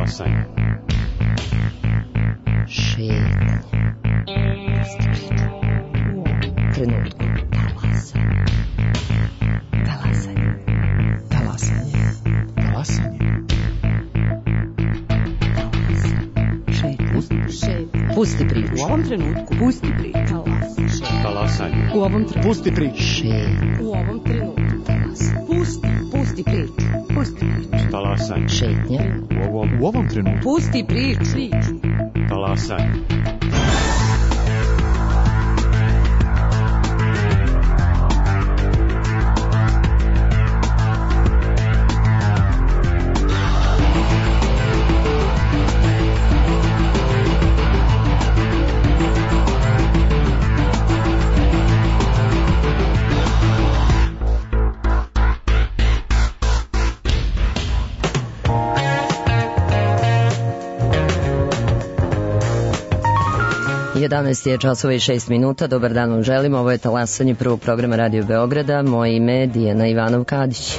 Talasanje. Šetnje. Trenutku. Talasanje. Talasanje. Talasanje. Pusti priču. U ovom trenutku. Pusti priču. Talasanje. U ovom trenutku. Pusti priču. U ovom trenutku. Pusti priču. Pusti priču. Talasanje. Šetnja. U ovom trenutku. Pusti priču. Talasanje. Jedanaest je časova i 6 minuta. Dobar dan vam želim. Ovo je Talasanje prvog programa Radio Beograda. Moje ime je Dijana Ivanov-Kadić.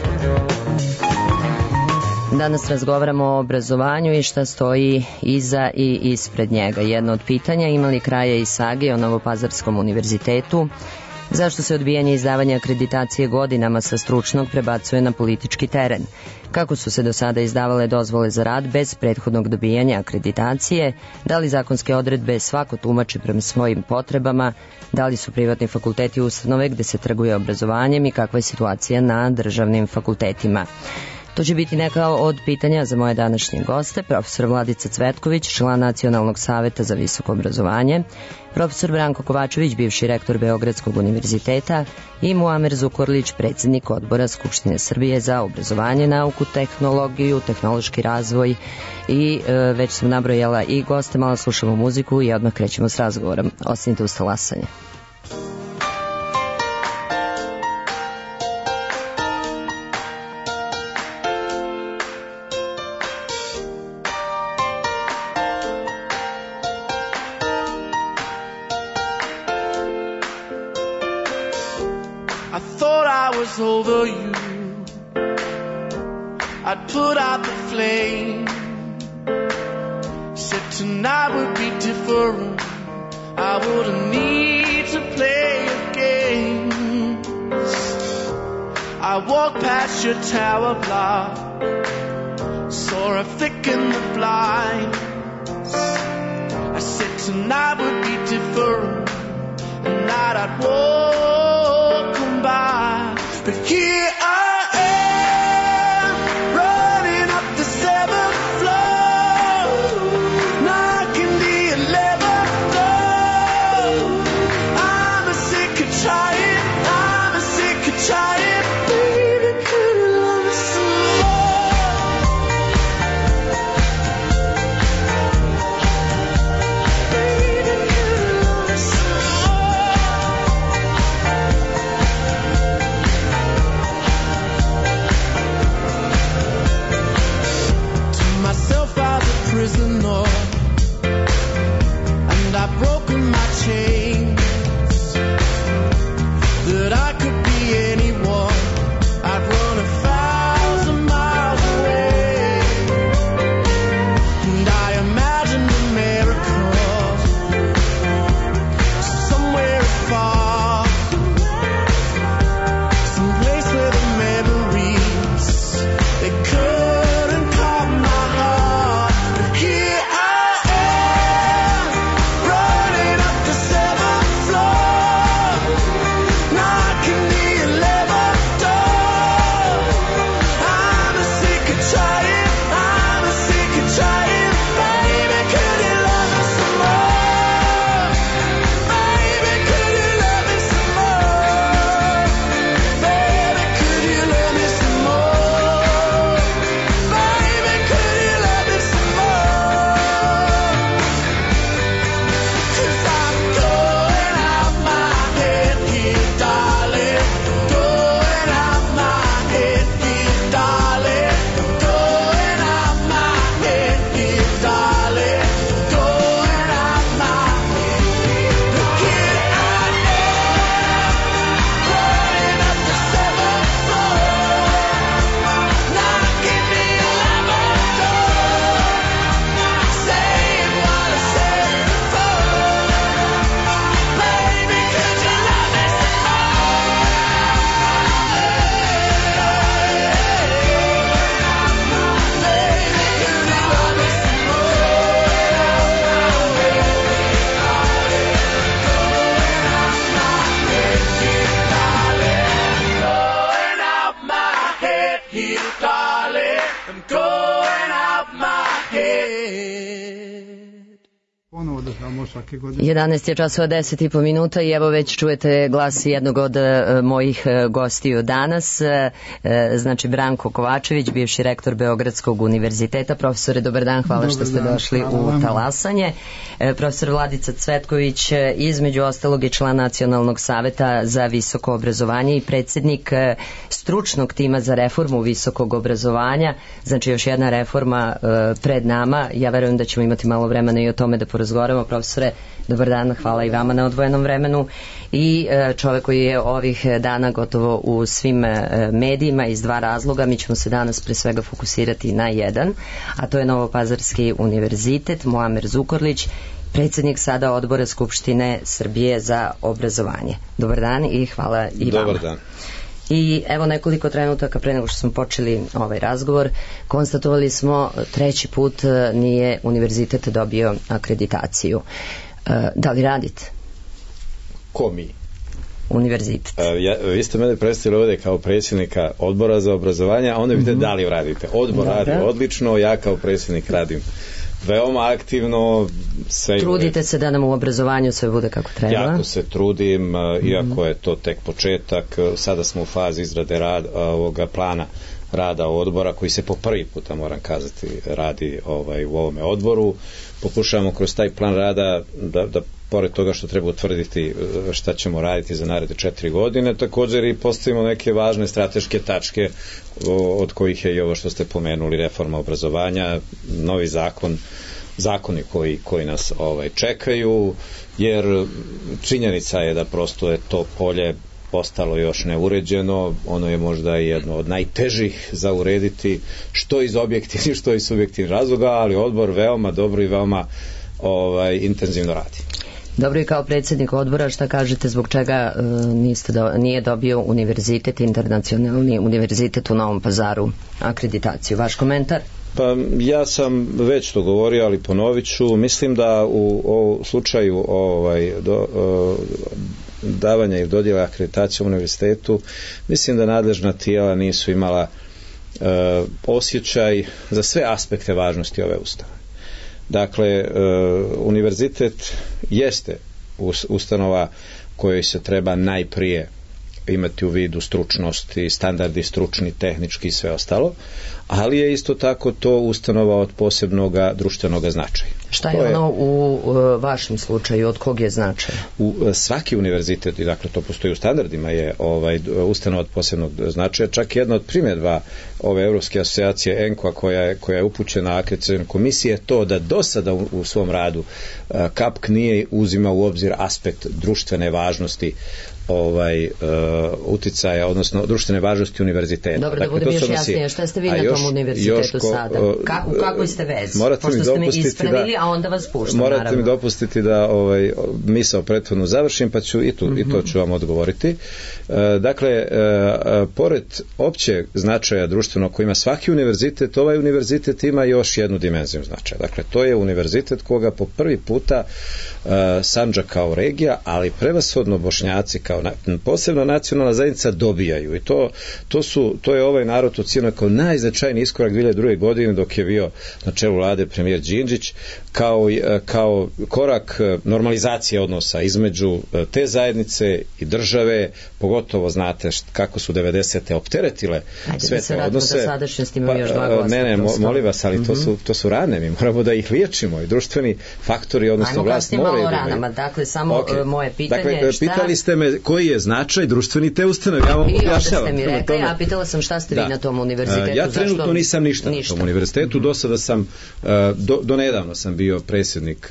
Danas razgovaramo o obrazovanju i šta stoji iza i ispred njega. Jedno od pitanja, ima li kraja i sage o Novopazarskom univerzitetu? Zašto se odbijanje izdavanja akreditacije godinama sa stručnog prebacuje na politički teren? Kako su se do sada izdavale dozvole za rad bez prethodnog dobijanja akreditacije? Da li zakonske odredbe svako tumači prema svojim potrebama? Da li su privatni fakulteti ustanove gde se trguje obrazovanjem i kakva je situacija na državnim fakultetima? To će biti neka od pitanja za moje današnje goste, profesor Vladica Cvetković, član Nacionalnog saveta za visoko obrazovanje, profesor Branko Kovačević, bivši rektor Beogradskog univerziteta i Muamer Zukorlić, predsjednik odbora Skupštine Srbije za obrazovanje, nauku, tehnologiju, tehnološki razvoj i već sam nabrojala i goste, malo slušamo muziku i odmah krećemo s razgovorom. Ostanite uz Talasanje. Over you, I'd put out the flame. Said tonight would be different. I wouldn't need to play your games. I walked past your tower block, saw a flick in the blinds. I said tonight would be different, and night I'd walk on by. But here I am, running up the 7th floor, knocking the 11th door. I'm a sick of trying, baby, could you love me some more? Baby, could you love me some more? ponovo održavamo svake godine. 11 je časova 10,5 minuta i evo već čujete glas jednog od mojih gostiju danas, znači Branko Kovačević, bivši rektor Beogradskog univerziteta. Profesore, dobar dan, hvala što ste došli u Talasanje. Profesor Vladica Cvetković, između ostalog i član Nacionalnog saveta za visoko obrazovanje i predsjednik stručnog tima za reformu visokog obrazovanja, znači još jedna reforma pred nama. Ja verujem da ćemo imati malo vremena i o tome da porazgovaramo. Profesore, dobar dan, hvala i vama na odvojenom vremenu. I čovek koji je ovih dana gotovo u svim medijima iz dva razloga. Mi ćemo se danas pre svega fokusirati na jedan, a to je Novopazarski univerzitet. Muamer Zukorlić, predsjednik sada Odbora Skupštine Srbije za obrazovanje. Dobar dan i hvala i vama. Dobar dan. I evo nekoliko trenutaka pre nego što smo počeli ovaj razgovor, konstatovali smo treći put nije univerzitet dobio akreditaciju. Da li radite? Ko mi? Univerzitet. Vi ste mene predstavili ovdje kao predsjednika Odbora za obrazovanje, a onda vidite da li radite. Odbor radi odlično, ja kao predsjednik radim veoma aktivno. Trudite se da nam u obrazovanju sve bude kako treba? Jako se trudim, iako je to tek početak. Sada smo u fazi izrade ovoga plana rada odbora koji se po prvi puta, moram kazati, radi u ovome odboru. Pokušavamo kroz taj plan rada da pored toga što treba utvrditi šta ćemo raditi za naredne 4 godine, također i postavimo neke važne strateške tačke od kojih je i ovo što ste pomenuli, reforma obrazovanja, novi zakoni koji nas čekaju, jer činjenica je da prosto je to polje postalo još neuređeno, ono je možda jedno od najtežih za urediti, što iz objektivnih, što iz subjektivnih razloga, ali odbor veoma dobro i veoma intenzivno radi. Dobro, i kao predsjednik odbora, šta kažete zbog čega nije dobio univerzitet, internacionalni univerzitet u Novom Pazaru akreditaciju? Vaš komentar? Pa ja sam već to govorio, ali ponovit ću. Mislim da u slučaju davanja i dodjela akreditacije u univerzitetu, mislim da nadležna tijela nisu imala osjećaj za sve aspekte važnosti ove ustanove. Dakle, univerzitet jeste ustanova kojoj se treba najprije imati u vidu stručnosti, standardi stručni, tehnički i sve ostalo, ali je isto tako to ustanova od posebnog društvenog značaja. Šta je ono u vašem slučaju, od kog je značaja? Svaki univerzitet, i dakle to postoji u standardima, je ustanova od posebnog značaja. Čak jedna od primjedba ove Evropske asocijacije ENKO-a koja je upućena akreditacionoj komisiji je to da do sada u svom radu KAPK nije uzimao u obzir aspekt društvene važnosti uticaja, odnosno društvene važnosti univerziteta. Dobro, da budem još jasnije, šta ste vi na tom univerzitetu sada? U kakvoj ste vezi? Pošto ste me ispravili, a onda vas puštam, naravno. Morate mi dopustiti da misao prethodno završim, pa ću i to ću vam odgovoriti. Dakle, pored općeg značaja društvenog koji ima svaki univerzitet, ovaj univerzitet ima još jednu dimenziju značaja. Dakle, to je univerzitet koga po prvi puta Sandžak kao regija, ali prevashodno Bošnjaci kao posebno nacionalna zajednica dobijaju. I to je ovaj narod ocijenio kao najznačajniji iskorak 2002. godine dok je bio na čelu vlade premijer Đinđić, kao korak normalizacije odnosa između te zajednice i države, pogotovo znate kako su 90. opteretile sve te odnose. Molim vas, ali to su rane, mi moramo da ih liječimo i društveni faktori, odnosno vlast moraju. Ajmo kasnije malo ranama, dakle samo moje pitanje je šta... Pitali ste me koji je značaj društveni te ustanove, ja vam objašnjavam. I onda ste mi rekli, a pitala sam šta ste vi na tom univerzitetu. Ja trenutno nisam ništa na tom univerzitetu, do sada sam, do nedavno sam bio predsjednik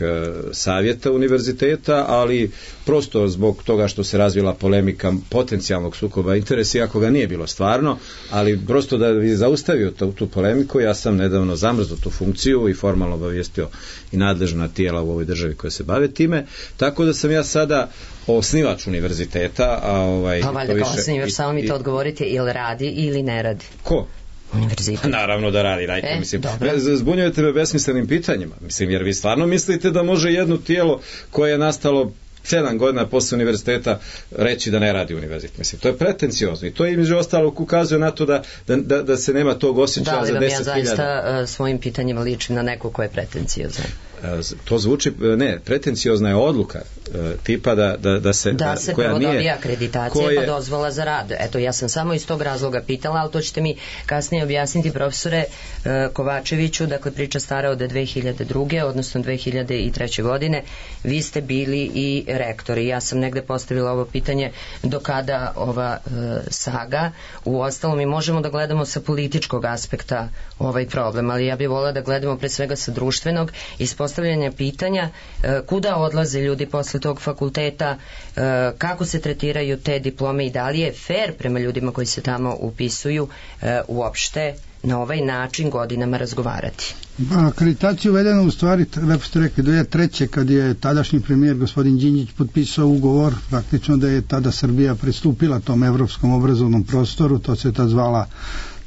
savjeta univerziteta, ali prosto zbog toga što se razvila polemika potencijalnog sukoba interesa, iako ga nije bilo stvarno, ali prosto da bi zaustavio tu polemiku, ja sam nedavno zamrznuo tu funkciju i formalno obavijestio i nadležna tijela u ovoj državi koja se bave time, tako da sam ja sada osnivač univerziteta. Pa valjda kao osnivač, samo mi to odgovorite, ili radi ili ne radi? Ko? Univerzitet. Naravno da radi, zbunjujete me besmislenim pitanjima, jer vi stvarno mislite da može jedno tijelo koje je nastalo 7 godina posle univerziteta reći da ne radi univerzitet. To je pretenciozno i to između ostalog ukazuje na to da se nema tog osjećaja za 10.000. Da li vam ja zaista svojim pitanjima ličim na neko ko je pretenciozan? To zvuči, pretenciozna je odluka tipa da se provodi akreditacija pa dozvola za rad. Eto, ja sam samo iz tog razloga pitala, ali to ćete mi kasnije objasniti, profesore Kovačeviću. Dakle, priča stara od 2002. odnosno 2003. godine. Vi ste bili i rektori. Ja sam negde postavila ovo pitanje do kada ova saga. U ostalom mi možemo da gledamo sa političkog aspekta ovaj problem, ali ja bih volila da gledamo pre svega sa društvenog, ispostavljanja pitanja kuda odlaze ljudi posle tog fakulteta, kako se tretiraju te diplome i da li je fair prema ljudima koji se tamo upisuju uopšte na ovaj način godinama razgovarati. Akreditacija uvedena u stvari, lepo ste rekli, 2003. kad je tadašnji premijer gospodin Đinđić potpisao ugovor, praktično da je tada Srbija pristupila tom evropskom obrazovnom prostoru, to se ta zvala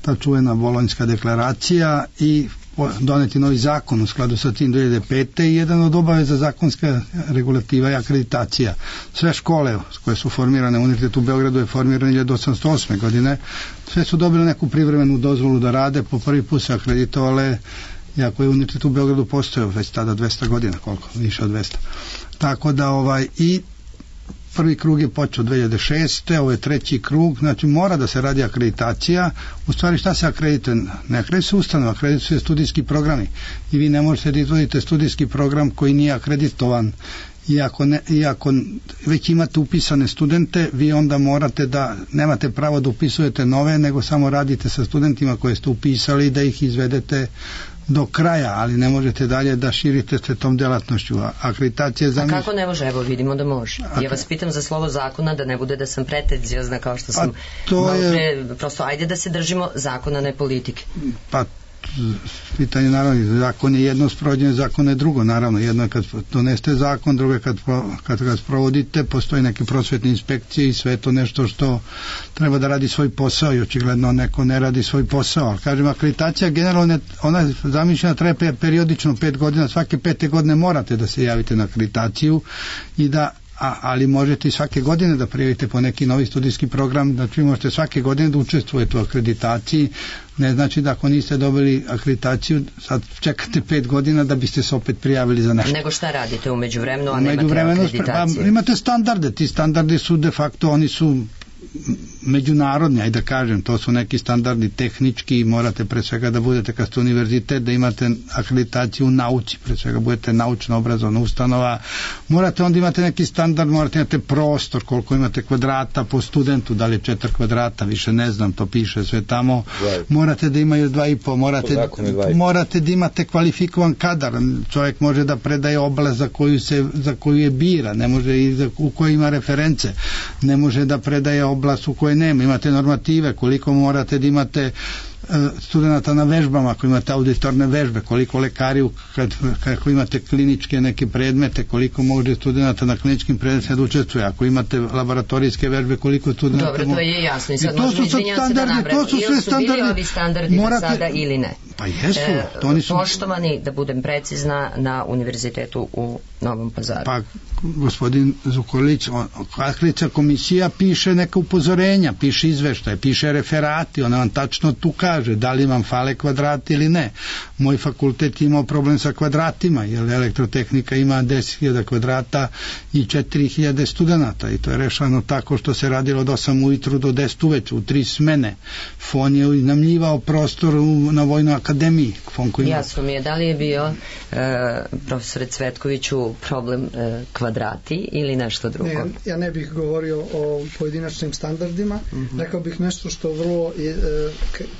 ta čuvena Bolonjska deklaracija i doneti novi zakon u skladu sa tim 2005. i jedan od obaveza zakonska regulativa je akreditacija. Sve škole koje su formirane, Univerzitet u Beogradu je formiran 1808. godine, sve su dobile neku privremenu dozvolu da rade, po prvi put se akreditovale, iako je Univerzitet u Beogradu postojao već tada 200 godina, koliko? Više od 200. Tako da i prvi krug je počeo 2006. Ovo je treći krug, znači mora da se radi akreditacija. U stvari šta se akredituje? Ne akredituje se ustanova, akredituje se studijski programi i vi ne možete da izvodite studijski program koji nije akreditovan. Iako već imate upisane studente, vi onda morate da nemate pravo da upisujete nove, nego samo radite sa studentima koje ste upisali da ih izvedete do kraja, ali ne možete dalje da širite se tom delatnošću. Akreditacija A kako ne može? Evo vidimo da može. Ja vas pitam za slovo zakona, da ne bude da sam pretenziozna kao što sam malo pre, prosto ajde da se držimo zakona, ne politike. Pa pitanje naravno, zakon je jedno, sprovođenje zakona je drugo, naravno, jedno je kad doneste zakon, drugo je kad ga sprovodite, postoji neke prosvetne inspekcije i sve je to nešto što treba da radi svoj posao i očigledno neko ne radi svoj posao, ali kažem, akreditacija generalno ona je zamišljena, treba periodično 5 godina, svake 5. godine morate da se javite na akreditaciju i da ali možete i svake godine da prijavite po neki novi studijski program, znači možete svake godine da učestvujete u akreditaciji, ne znači da ako niste dobili akreditaciju sad čekate 5 godina da biste se opet prijavili za nešto. Nego šta radite u međuvremenu, a nemate akreditaciju? Imate standarde, ti standardi su de facto, oni su međunarodni, ajde da kažem, to su neki standardi tehnički, morate pre svega da budete kad ste univerzitet, da imate akreditaciju u nauci, pre svega budete naučno obrazovna ustanova, morate onda imate neki standard, morate imate prostor, koliko imate kvadrata po studentu, da li je 4 kvadrata, više ne znam, to piše sve tamo, morate da imaju 2,5, morate da imate kvalifikovan kadar, čovjek može da predaje oblast za koju je bira, ne može i u kojoj ima reference, ne može da predaje oblast u kojoj nema, imate normative, koliko morate da imate studenta na vežbama, ako imate auditorne vežbe, koliko lekari kako imate kliničke neke predmete, koliko može studenta na kliničkim predmetima da učestvuje, ako imate laboratorijske vežbe, koliko studenta... Dobro, to je jasno i sad možemo izvinjati se da nabrati. Ili su bili ovi standardi do sada ili ne? Pa jesu, to oni su... Poštovani, da budem precizna, na univerzitetu u Novom Pazaru. Pa, gospodin Zukorlić, akreditaciona komisija piše neka upozorenja, piše izveštaje, piše referati, ona vam tačno tu kaže da li vam fale kvadrati ili ne. Moj fakultet imao problem sa kvadratima, jer elektrotehnika ima 10.000 kvadrata i 4.000 studenta i to je rešano tako što se radilo od 8 ujutru do 10 uveče, u 3 smene. FON je iznajmljivao prostor na Vojnoj akademiji. Jasno mi je, da li je bio profesore Cvetkoviću problem kvadrati ili nešto drugo? Ne, ja ne bih govorio o pojedinačnim standardima, rekao bih nešto što vrlo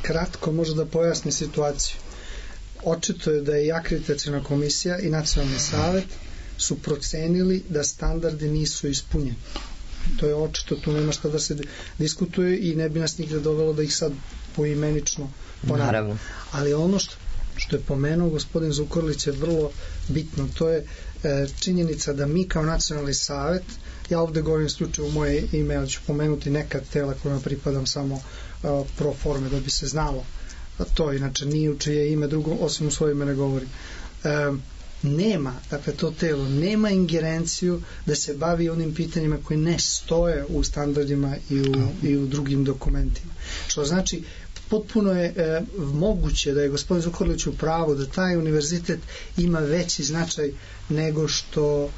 kratko može da pojasni situaciju. Očito je da je i akreditaciona komisija i nacionalni savet su procenili da standardi nisu ispunjeni. To je očito, tu nema šta da se diskutuje i ne bi nas nigde dovelo da ih sad poimenično ponavljamo. Ali ono što je pomenuo gospodin Zukorlić je vrlo bitno, to je činjenica da mi kao nacionalni savet, ja ovde govorim isključivo u moje ime, ali ću pomenuti neka tela kojima pripadam samo pro forme da bi se znalo, to inače nije u čije ime drugo, osim u svoje ime ne govorim. Nema, dakle to telo nema ingerenciju da se bavi onim pitanjima koji ne stoje u standardima i u drugim dokumentima. Što znači potpuno je moguće da je gospodin Zukorlić u pravu da taj univerzitet ima veći značaj nego što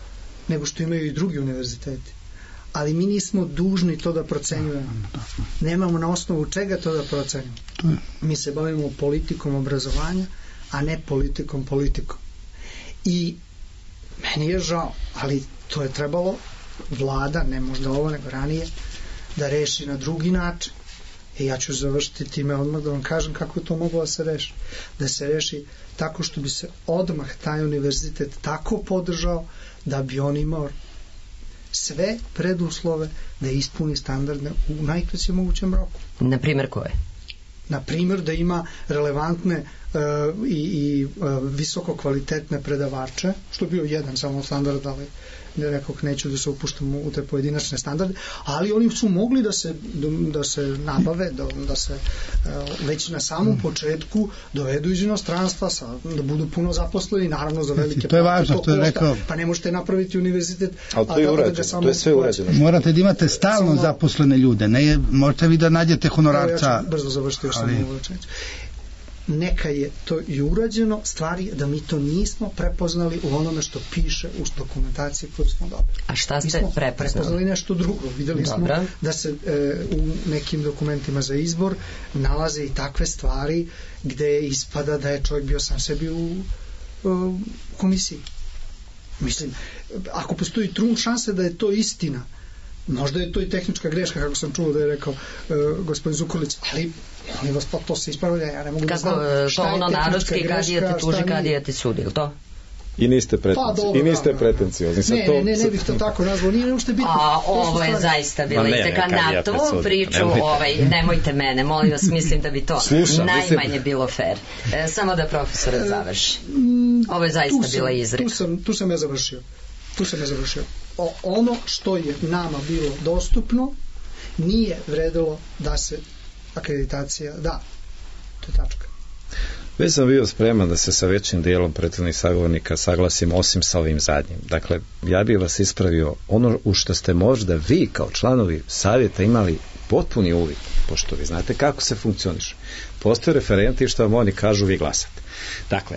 imaju i drugi univerziteti. Ali mi nismo dužni to da procenjujemo. Nemamo na osnovu čega to da procenjujemo. Mi se bavimo politikom obrazovanja, a ne politikom. I meni je žao, ali to je trebalo vlada, ne možda ovo nego ranije, da reši na drugi način. I ja ću završiti time odmah da vam kažem kako je to moglo da se reši. Da se reši tako što bi se odmah taj univerzitet tako podržao da bi on imao sve preduslove da ispuni standarde u najkraćem mogućem roku. Na primjer koje? Na primjer da ima relevantne i visoko kvalitetne predavače, što je bio jedan samo standard, ali rekao neću da se upuštam u te pojedinačne standarde, ali oni su mogli da se nabave, da se već na samom početku dovedu iz inostranstva, da budu puno zaposleni, naravno za velike to je važno, to je rekao. Pa ne možete napraviti univerzitet, ali to je urađeno, to je sve urađeno. Morate da imate stalno zaposlene ljude, ne možete vi da nađete honorarca. Ja ću brzo završiti još samo ovo rečenicu. Neka je to i urađeno, stvar je da mi to nismo prepoznali u onome što piše u dokumentaciji koju smo dobili. A šta ste prepoznali nešto drugo. Videli smo da se u nekim dokumentima za izbor nalaze i takve stvari gde ispada da je čovjek bio sam sebi u komisiji. Mislim, ako postoji trun šanse da je to istina, možda je to i tehnička greška, kako sam čuo da je rekao gospodin Zukorlić, ali molim vas, pa to se ispravlja, ja ne mogu da znam šta je tehnička greška. Kadija te tuži, kadija te sudi, ili to? I niste pretenciozni. Ne bih to tako nazvao, nije uopšte bitno. Ovo je zaista bilo iteka na tu priču, nemojte mene, molim vas, mislim da bi to najmanje bilo fair. Samo da profesor završi. Ovo je zaista bila izreka. Tu sam ja završio. Ono što je nama bilo dostupno nije vredilo da se akreditacija da. To je tačka. Već sam bio spreman da se sa većim dijelom prethodnih sagovornika saglasim, osim sa ovim zadnjim. Dakle, ja bih vas ispravio ono u što ste možda vi kao članovi savjeta imali potpuni uvid, pošto vi znate kako se funkcioniše. Postoje referenti što vam oni kažu, vi glasate. Dakle,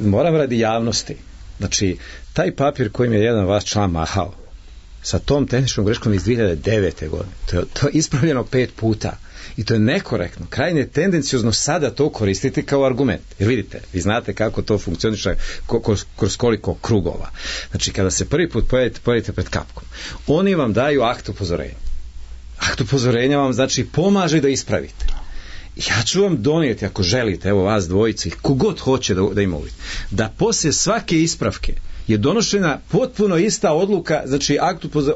moram radi javnosti, znači, taj papir kojim je jedan vaš član mahao sa tom tehničkom greškom iz 2009. godine, to je ispravljeno 5 puta i to je nekorektno, krajnje tendencijozno sada to koristiti kao argument, jer vidite, vi znate kako to funkcioniše kroz koliko krugova. Znači, kada se prvi put pojavite pred kapkom, oni vam daju akt upozorenja. Akt upozorenja vam znači pomaže da ispravite. Ja ću vam donijeti, ako želite, evo vas dvojici, kogod hoće da ima uvid, da poslije svake ispravke je donošena potpuno ista odluka, znači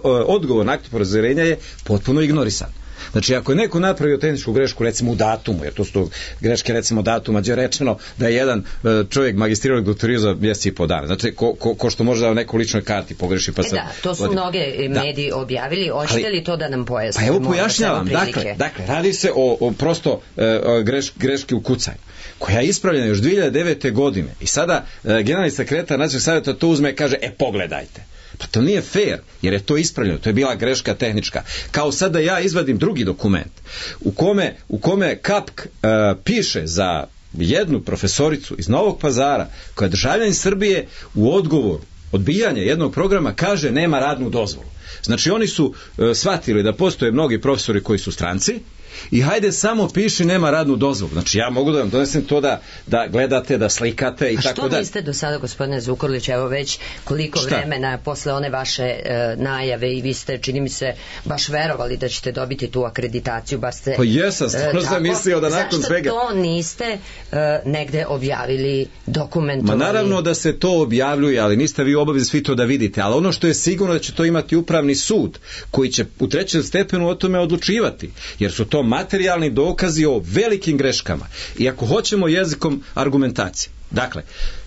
odgovor na akt upozorenja je potpuno ignorisan. Znači, ako je neko napravio tehničku grešku, recimo u datumu, jer to su greške recimo datuma, gdje je rečeno da je jedan čovjek magistrirao i doktorirao za mjesec i po dana. Znači, ko što može da u nekoj ličnoj karti pogreši. Pa da, to su mnoge mediji objavili. Hoćete li to da nam pojasnite? Pa evo pojašnjavam. Dakle, radi se o prosto greški u kucanju, koja je ispravljena još 2009. godine. I sada generalni sekretar Nacionalnog savjeta to uzme i kaže, pogledajte. Pa to nije fair, jer je to ispravljeno, to je bila greška tehnička. Kao sada ja izvadim drugi dokument u kome KAPK piše za jednu profesoricu iz Novog Pazara, koja je državljanin Srbije, u odgovoru odbijanje jednog programa kaže nema radnu dozvolu. Znači oni su shvatili da postoje mnogi profesori koji su stranci i hajde samo piši nema radnu dozvolu. Znači ja mogu da vam donesem to da gledate, da slikate i tako da. A što niste do sada, gospodine Zukorlić, evo već koliko vremena posle one vaše najave i vi ste, čini mi se, baš verovali da ćete dobiti tu akreditaciju, baš ste... Pa jesam, stvarno sam mislio da nakon svega... Zašto to niste negde objavili, dokumentovali? Ma naravno da se to objavljuje, ali niste vi obavezni svi to da vidite, ali ono što je sigurno da će to imati upravni sud, koji će u 3. stepenu o tome odlučivati, jer su to materijalni dokazi o velikim greškama. I ako hoćemo jezikom argumentacije, dakle,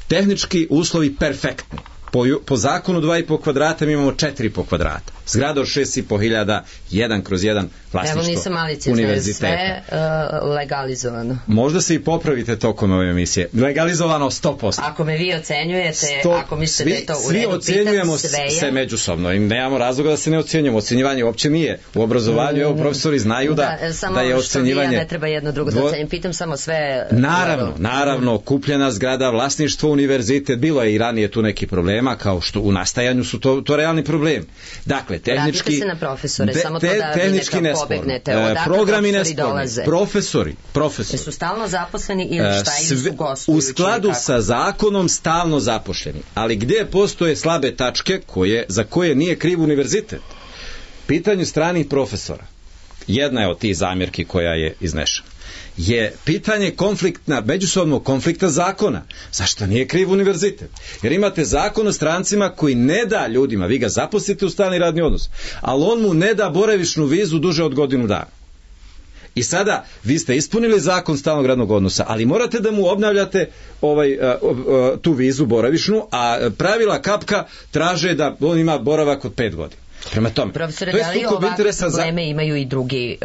tehnički uslovi perfektni. Po zakonu 2,5 kvadrata mi imamo 4,5 kvadrata. Zgrada od 6,5 hiljada, 1/1 Evo nisam maliciozna, sve legalizovano. Možda se i popravite tokom ove emisije. Legalizovano 100%. Ako me vi ocenjujete, ako mislite da je to u redu, svi ocenjujemo se međusobno i nemamo razloga da se ne ocenjujemo. Ocenjivanje uopće nije. U obrazovanju, evo, profesori znaju da je ocenjivanje... Samo što ne treba jedno drugo da ocenjim. Pitam samo sve... Naravno, kupljena zgrada, vlasništvo, univerzitet, bilo je i ranije tu neki problema, kao što u nastajanju su to realni problem. Dakle, tehnički... Vratite se na profesore, samo to da vi nekako pobegnete. Odakle programi profesori dolaze? Profesori. Su stalno zaposleni ili šta, ili su gostujući? U skladu sa zakonom stalno zaposleni. Ali gdje postoje slabe tačke za koje nije kriv univerzitet? Pitanje stranih profesora. Jedna je od tih zamjerki koja je iznešena. Je pitanje međusobnog konflikta zakona. Zašto nije kriv univerzitet? Jer imate zakon o strancima koji ne da ljudima, vi ga zaposlite u stalni radni odnos, ali on mu ne da boravišnu vizu duže od godinu dana. I sada vi ste ispunili zakon stalnog radnog odnosa, ali morate da mu obnavljate tu vizu boravišnu, a pravila kapka traže da on ima boravak od 5 godina. Prema tome, profesore, da li ovakve probleme imaju i drugi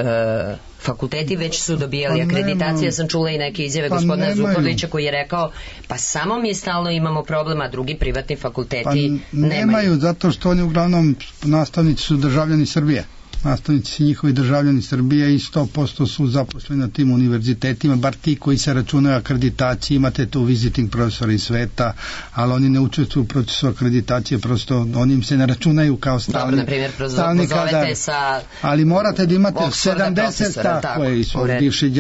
fakulteti, već su dobijali akreditacije? Ja sam čula i neke izjave gospodina Zukorlića koji je rekao, pa samo mi stalno imamo problema, drugi privatni fakulteti nemaju. Zato što oni uglavnom nastavnici su državljani Srbije. Nastavnici njihovi državljani Srbije i 100% su zaposleni na tim univerzitetima, bar ti koji se računaju akreditaciji, imate tu visiting profesora iz sveta, ali oni ne učestvuju u procesu akreditacije, prosto oni im se ne računaju kao stalni. Dobro, na primjer, pozovete sa... Ali morate da imate 70, tako je,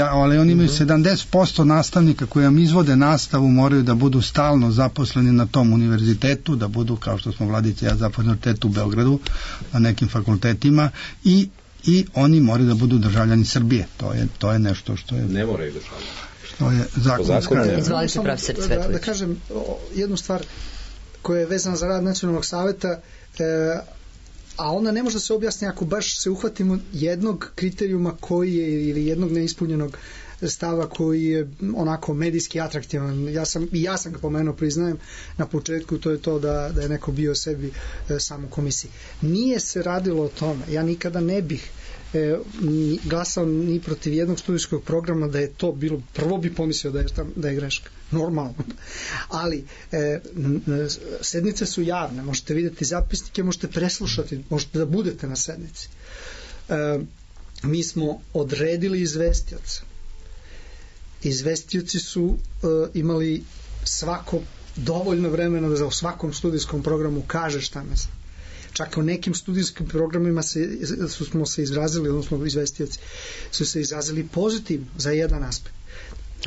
ali oni imaju 70% nastavnika koji vam izvode nastavu, moraju da budu stalno zaposleni na tom univerzitetu, da budu, kao što smo Vladica i ja, zaposleni u Beogradu, na nekim fakultetima, i oni moraju da budu državljani Srbije. To je nešto što je... Ne moraju državljani. Što je zakonska. Izvolite, profesor Cvetković. Da kažem jednu stvar koja je vezana za rad Nacionalnog saveta, a ona ne može da se objasni ako baš se uhvatimo jednog kriterijuma koji je, ili jednog neispunjenog stava koji je onako medijski atraktivan. Ja sam ga pomenuo, priznajem na početku, to je to da je neko bio sebi sam u komisiji. Nije se radilo o tome. Ja nikada ne bih glasao ni protiv jednog studijskog programa da je to bilo, prvo bi pomislio da je greška. Normalno. Ali sednice su javne, možete vidjeti zapisnike, možete preslušati, možete da budete na sednici. Mi smo odredili izvestioce. Izvestioci su imali svako dovoljno vremena da u svakom studijskom programu kaže šta misle. Čak u nekim studijskim programima smo se izrazili, odnosno izvestioci su se izrazili pozitivno za jedan aspekt.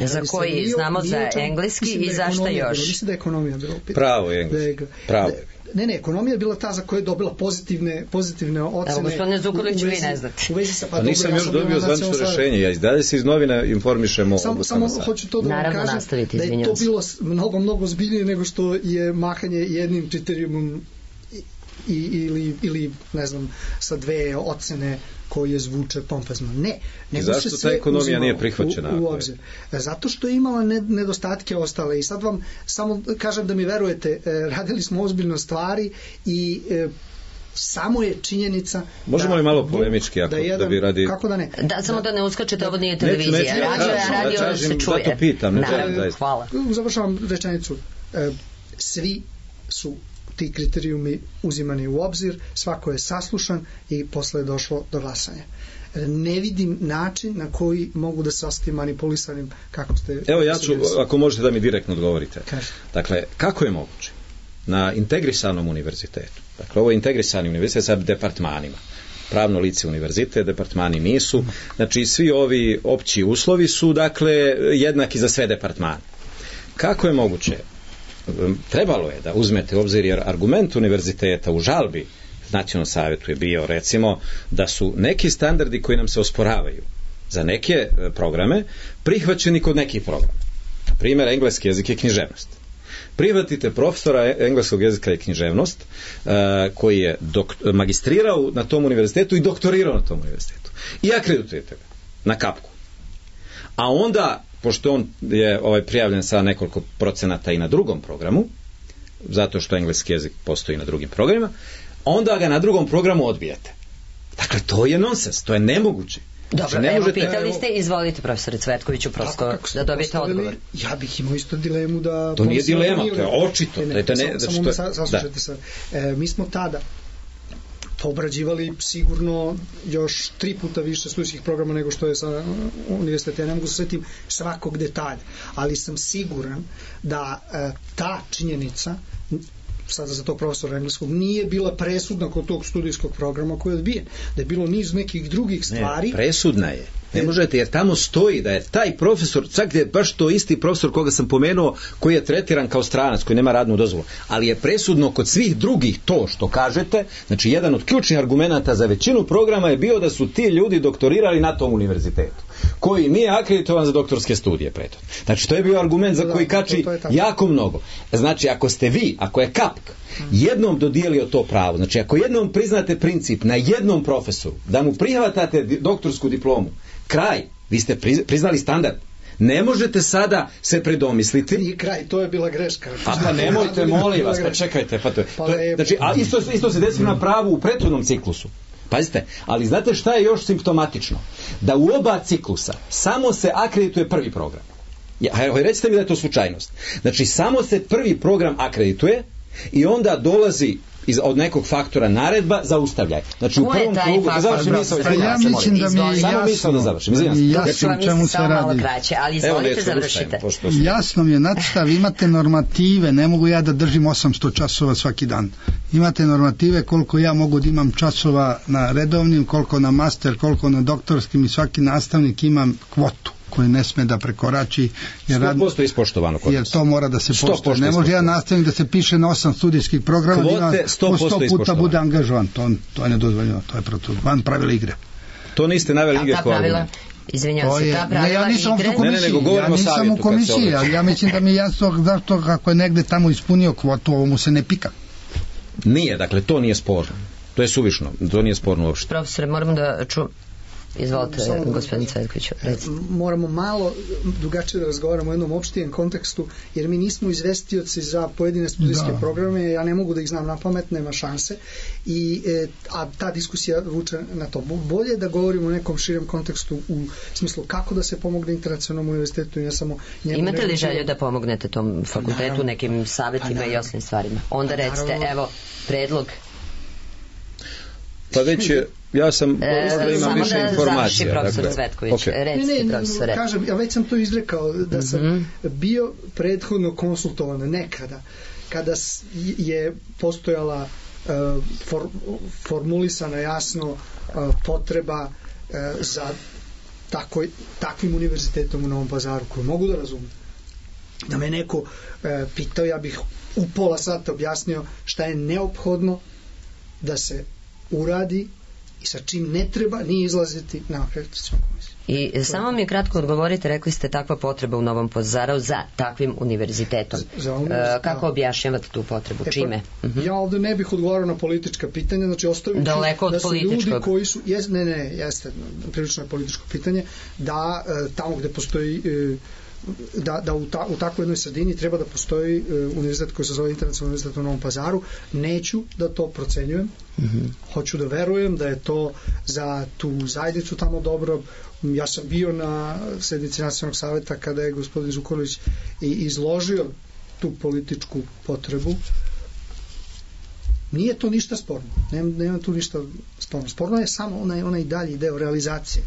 Za koji znamo, za engleski i za šta još? Mislim da je ekonomija bilo pitanje. Pravo je engleski. Pravo. Ne, ekonomija je bila ta za koju je dobila pozitivne ocene. Evo, gospodine Zukorlić, vi ne znate. Nisam još dobio zvanično rešenje. Ja dalje se iz novina informišem o samo hoću to da vam kažem, da je to bilo mnogo zbiljnije nego što je mahanje jednim kriterijumom ili ne znam, sa dve ocene koje zvuče pompezno. Ne. I zašto ta ekonomija nije prihvaćena? U obzir. Zato što je imala nedostatke ostale. I sad vam samo kažem da mi verujete, radili smo ozbiljno stvari i samo je činjenica. Možemo li malo polemički da bi radi... Kako da ne? Da, samo da ne uskačete, ovo nije televizija. Radio se čuje. Zato pitam. Hvala. Završavam rečenicu. Svi su ti kriterijumi uzimani u obzir, svako je saslušan i posle je došlo do glasanja. Ne vidim način na koji mogu da se ostati manipulisanim kako ste... Evo ja ću, ako možete da mi direktno odgovorite. Dakle, kako je moguće na integrisanom univerzitetu, dakle ovo je integrisani univerzitet sa departmanima, pravno lice univerzitet, departmani nisu, znači svi ovi opći uslovi su dakle jednaki za sve departmane. Kako je moguće? Trebalo je da uzmete u obzir, jer argument univerziteta u žalbi Nacionalnom savetu je bio, recimo, da su neki standardi koji nam se osporavaju za neke programe prihvaćeni kod nekih programa. Na primjer, engleski jezik i književnost. Prihvatite profesora engleskog jezika i književnost koji je magistrirao na tom univerzitetu i doktorirao na tom univerzitetu. I akreditujete ga na kapku. A onda, pošto on je prijavljen sa nekoliko procenata i na drugom programu, zato što engleski jezik postoji na drugim programima, onda ga na drugom programu odbijete. Dakle, to je nonsens, to je nemoguće. Dobro, ne evo, možete... pitali ste, izvolite profesore Cvetkoviću, prosto da dobijete odgovor. Ja bih imao isto dilemu da... To nije dilema, to je očito. Samo me saslušajte sad. Mi smo tada obrađivali sigurno još 3 puta više studijskih programa nego što je sa univerziteta. Ja ne mogu se svetim svakog detalja, ali sam siguran da ta činjenica, sada za tog profesora engleskog, nije bila presudna kod tog studijskog programa koji je odbijen. Da je bilo niz nekih drugih stvari. Ne, presudna je. Ne možete, jer tamo stoji da je taj profesor, čak je baš to isti profesor koga sam pomenuo, koji je tretiran kao stranac, koji nema radnu dozvolu, ali je presudno kod svih drugih to što kažete. Znači, jedan od ključnih argumenata za većinu programa je bio da su ti ljudi doktorirali na tom univerzitetu, koji nije akreditovan za doktorske studije preto. Znači, to je bio argument za koji kači jako mnogo. Znači, ako ste vi, ako je KAPK jednom dodijelio to pravo, znači ako jednom priznate princip na jednom profesoru, da mu prihvatate doktorsku diplomu, kraj, vi ste priznali standard. Ne možete sada se predomisliti. Nije kraj, to je bila greška. Pa nemojte, molim vas, pa čekajte. Znači, a isto se desilo na pravu u prethodnom ciklusu. Pazite, ali znate šta je još simptomatično? Da u oba ciklusa samo se akredituje prvi program. Recite mi da je to slučajnost. Znači, samo se prvi program akredituje i onda dolazi od nekog faktora naredba zaustavljaj. Znači u prvom krugu da završim misao. Ja mislim da mi je jasno da završim. Jasno o čemu se radi. Ali izvolite, završite. Jasno mi je, znate, vi imate normative, ne mogu ja da držim 800 časova svaki dan. Imate normative koliko ja mogu da imam časova na redovnim, koliko na master, koliko na doktorskim, i svaki nastavnik imam kvotu koji ne sme da prekorači, jer 100% ispoštovano kod nas. Jer to mora da se poštuje. Ne može ja nastavnik da se piše na 8 studijskih programa, kvote 100 puta bude angažovan. To je nedozvoljeno, to je van pravila igre. To niste naveli igre kao argument. Izvinjavam se, ta pravila ja nisam igre... u komisiji, ja nisam u komisiji, ali ja mislim da mi je jasno zašto kako je negde tamo ispunio kvotu, ovo mu se ne pika. Nije, dakle, to nije sporno. To je suvišno, to nije sporno uopšte. Profesore, moramo da Izvolite, gospodin Cvetković. Moramo malo drugačije da razgovaramo u jednom opštijem kontekstu, jer mi nismo izvestioci za pojedine studijske programe, ja ne mogu da ih znam na pamet, nema šanse, a ta diskusija vuče na to. Bolje da govorimo o nekom širem kontekstu u smislu kako da se pomogne internacionalnom univerzitetu i ne samo njemu. Imate li želju da pomognete tom fakultetu nekim savjetima i osnovnim stvarima? Onda recite, evo, predlog. Pa već je, ja sam imam više informacija. Profesor Cvetković, recite profesore. Kažem, ja već sam to izrekao, da sam bio prethodno konsultovan nekada, kada je postojala formulisana jasno potreba za takvim univerzitetom u Novom Pazaru, koju mogu da razumem. Da me neko pitao, ja bih u pola sata objasnio šta je neophodno da se uradi i sa čim ne treba ni izlaziti na akreditacionu komisiju. I samo mi kratko odgovorite, rekli ste takva potreba u Novom Pazaru za takvim univerzitetom. Kako objašnjavate tu potrebu? Čime? Ja ovdje ne bih odgovarao na politička pitanja, znači ostavit ću da su ljudi koji su... Jeste, prilično je političko pitanje, da tamo gde postoji... da u takvoj jednoj sredini treba da postoji univerzitet koji se zove Internacionalni univerzitet u Novom Pazaru. Neću da to procenjujem, hoću da verujem da je to za tu zajednicu tamo dobro. Ja sam bio na sednici Nacionalnog saveta kada je gospodin Zukorlić izložio tu političku potrebu. Nije to ništa sporno. Nema tu ništa sporno. Sporno je samo onaj dalji deo realizacije.